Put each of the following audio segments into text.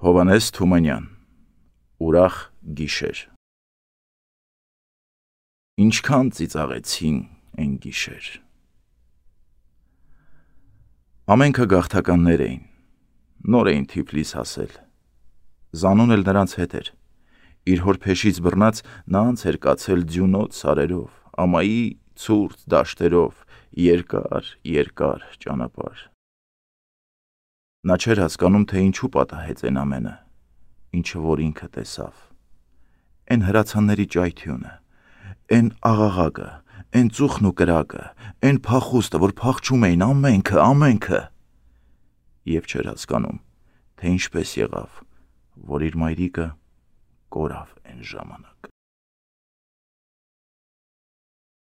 Հովհաննես Թումանյան, ուրախ գիշեր։ Ինչքան ծիծաղեցին այն գիշեր։ Ամենքը գաղթականներ էին, նոր էին Թիֆլիս հասել։ Զանուն էլ նրանց հետ էր։ Իր հոր փեշից բռնած նա անց էր կացել ձյունոտ սարերով, ամայի ցուրտ դաշտերով, երկար ճանապարհ։ Նա չէր հասկանում, թե ինչու պատահեց այն ամենը, ինչը որ ինքը տեսավ։ Այն հրացանների ճայթյունը, այն աղաղակը, այն ծուխն ու կրակը, այն փախուստը, որ փախչում էին ամենքը։ Եվ չէր հասկանում, թե ինչպես եղավ, որ իր մայրիկը կորավ այն ժամանակ։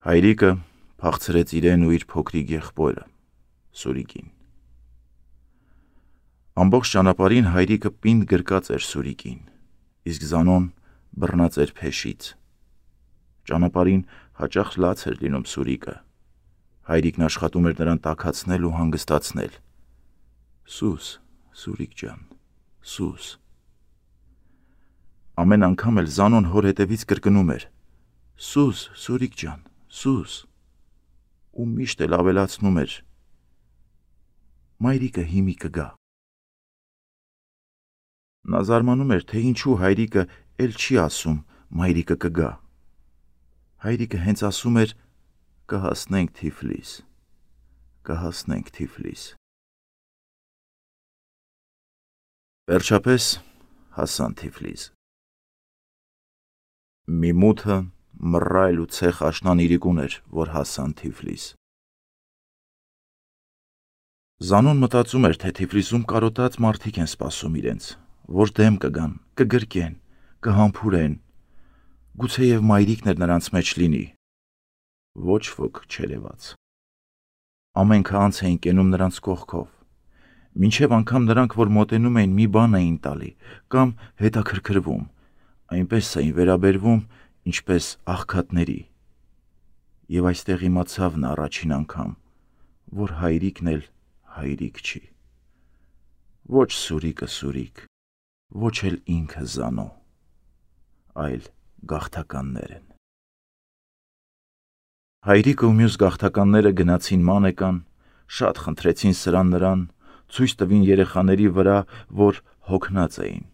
Հայրիկը փախցրեց իրեն ու իր փոքրիկ եղբորը, Սուրիկին։ Ամբողջ ճանապարհին հայրիկը պինդ գրկած էր Սուրիկին, իսկ Զանոն բռնած էր փեշից։ Ճանապարհին հաճախ լաց էր լինում Սուրիկը։ Հայրիկն աշխատում էր նրան տաքացնել ու հանգստացնել։ Սուս, Սուրիկ ջան, սուս։ Ամեն անգամ էլ Զանոն հոր հետևից կրկնում էր. Սուս, Սուրիկ ջան, սուս։ Ու միշտ էլ ավելացնում էր. մայրիկը հիմի կգա։ Նա զարմանում էր, թե ինչու հայրիկը էլ չի ասում մայրիկը կգա։ Հայրիկը հենց ասում էր կհասնենք Թիֆլիս։ Վերջապես հասան Թիֆլիս։ Մի մութը, մռայլ ու ցեխ աշնան իրիկուն էր, որ հասան Թիֆլիս։ Զանոն մտածում էր, թե Թիֆլիսում կարոտած մարդիկ են սպասում իրենց, որ դեմ կգան, կգրկեն, կհամբուրեն, գուցեև մայրիկն էր նրանց մեջ լինի։ Ոչ ոք չերևաց։ Ամենքը անց էին կենում նրանց կողքով, մինչև անգամ նրանք, որ մոտենում էին, մի բան էին տալի կամ հետաքրքրվում, այնպես էին վերաբերվում, ինչպես աղքատների։ Եվ այստեղ իմացավ նա առաջին անգամ, որ հայրիկն էլ հայրիկ չի։ Ոչ Սուրիկը Սուրիկ, ոչ էլ ինքը Զանո, այլ գաղթականներ են։ Հայրիկը ու մյուս գաղթականները գնացին մանեկան, շատ խնդրեցին սրան նրան, ցույց տվին երեխաների վրա, որ հոգնած էին,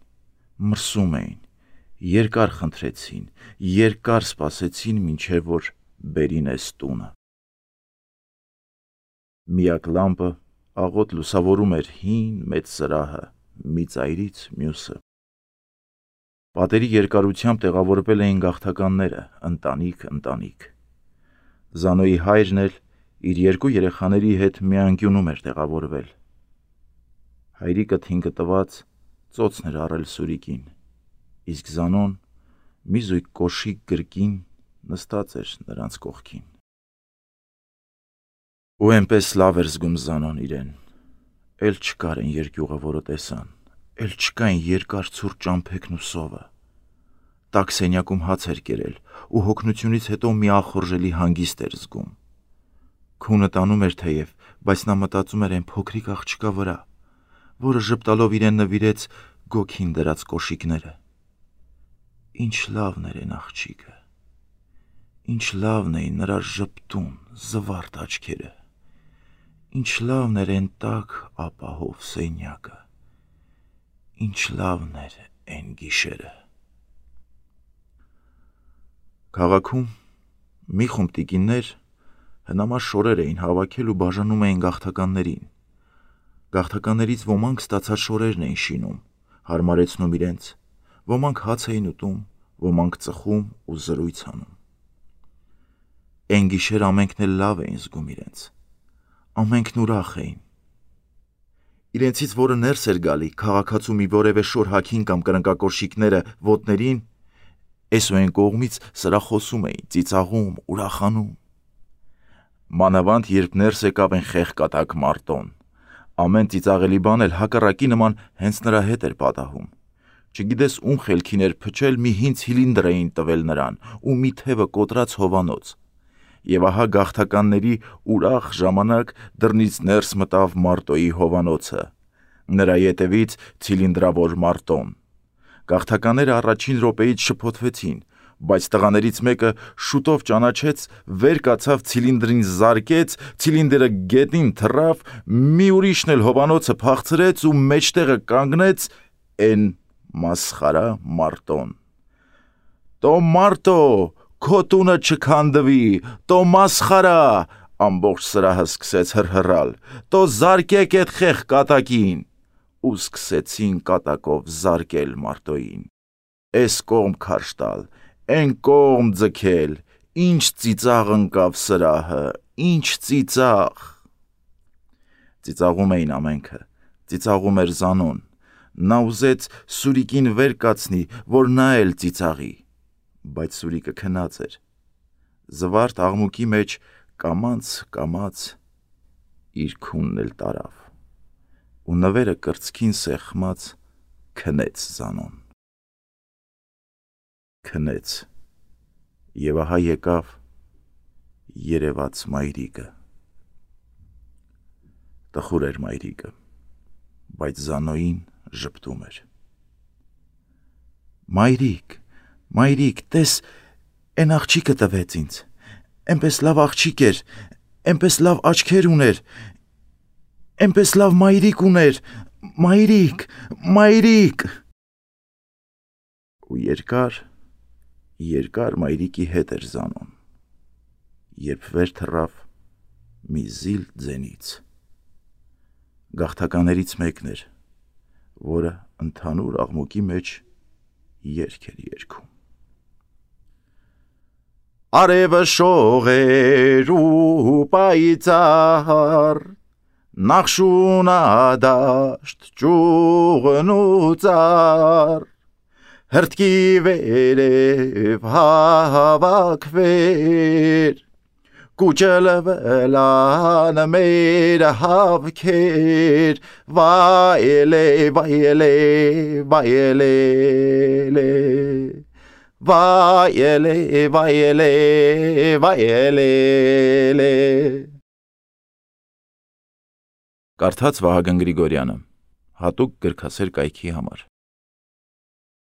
մրսում էին, երկար խնդրեցին, երկար սպասեցին, մինչև որ բերին էս տունը։ Միակ լամպը աղոտ լուսավորում էր հին մեծ սրահը, մի ծայրից մյուսը։ Պատերի երկարությամբ տեղավորվել էին գաղթականները, ընտանիք։ Զանոյի հայրն էլ իր երկու երեխաների հետ մի անկյունում էր տեղավորվել։ Հայրիկը թինքը տված ծոցն էր առել Սուրիկին, իսկ Զանոն մի զույգ կոշիկ գրկին նստած էր նրանց կողքին։ Ու այնպես լավ էր զգում Զանոն իրեն, էլ չկար այն երկյուղը, որը տեսան, էլ չկային երկար ցուրտ ճամփեքն ու սովը։ Տաք սենյակում հաց էր կերել ու հոգնությունից հետո մի ախորժելի հանգիստ էր զգում։ Քունը տանում էր թեև, բայց նա մտածում էր այն փոքրիկ աղջկա վրա, որը ժպտալով իրեն նվիրեց գոգին դրած կոշիկները։ Ինչ լավն էր այն աղջիկը, ինչ լավն էին նրա ժպտուն, զվարթ աչքերը, ինչ լավն էր այն տաք ապահով սենյակը, ինչ լավն էր այն գիշերը։ Քաղաքում մի խումբ տիկիններ հնամաշ շորեր էին հավաքել ու բաժանում էին գաղթականներին։ Գաղթականներից ոմանք ստացած շորերն էին շինում, հարմարեցնում իրենց, ոմանք հաց էին ուտում, ոմանք ծխում ու զրույց անում։ Այն գիշեր ամենքն էլ լավ էին զգում իրենց, ամենքն ուրախ էին։ Իրենցից որը ներս էր գալի, քաղաքացու մի որևէ շոր հագին կամ կրնկակոշիկները ոտներին, էս ու այն կողմից սրա խոսում էին, ծիծաղում, ուրախանում։ Մանավանդ երբ ներս եկավ այն խեղկատակ մարտոն, ամեն ծիծաղելի բան էլ հակառակի նման հենց նրա հետ էր պատահում։ Չգիտես ում խելքին էր փչել, մի հին ցիլինդր էին տվել նրան ու մի թևը կոտրած հովանոց։ Եվ ահա գաղթականների ուրախ ժամանակ դռնից ներս մտավ Մարտոյի հովանոցը։ Նրա ետևից ցիլինդրավոր Մարտոն։ Գաղթականները առաջին րոպեից շփոթվեցին, բայց տղաներից մեկը շուտով ճանաչեց, վեր կացավ ցիլինդրին զարկեց, ցիլինդրը գետին թռավ, մի ուրիշն էլ հովանոցը փախցրեց ու մեջտեղը կանգնեց էն մասխարա Մարտոն։ «Տո Մարտո, քո տունը չքանդվի, տո մասխարա», ամբողջ սրահը սկսեց հրհրալ, «տո զարկեք էդ խեղ կատակին», ու սկսեցին կատակով զարկել Մարտոյին։ Էս կողմ քարշ տալ, էն կողմ ձգել, ինչ ծիծաղ ընկավ սրահը, ինչ ծիծաղ։ Ծիծաղում էին ամենքը, ծիծաղում էր Զանոն։ Նա ուզեց Սուրիկին վեր կացնի, որ նա էլ ծիծաղի, բայց Սուրիկը քնած էր։ Զվարթ աղմուկի մեջ կամաց իր քունն էլ տարավ, ու նվերը կրծքին սեղմած քնեց Զանոն։ Քնեց, եւ ահա եկավ երևաց մայրիկը։ Տխուր էր մայրիկը, բայց Զանոյին ժպտում էր։ Մայրիկ, տես, էն աղջիկը տվեց ինձ, էնպես լավ աղջիկ էր, էնպես լավ աչքեր ուներ, էնպես լավ մայրիկ ուներ, մայրիկ։ Ու երկար մայրիկի հետ էր Զանոն, երբ վեր թռավ մի զիլ ձենից։ Գաղթականերից մեկն էր, որը ընդհանուր աղմուկի մեջ երգ էր երգում։ Արևը շող էր ու պայծառ, նախշունադաշտ ճուղն ու ծառ, հրտկի վերև հավաքվեր, կուճլվլան մեր հավքեր, վայելե, Կարդաց Վահագն Գրիգորյանը, հատուկ գրքասեր կայքի համար։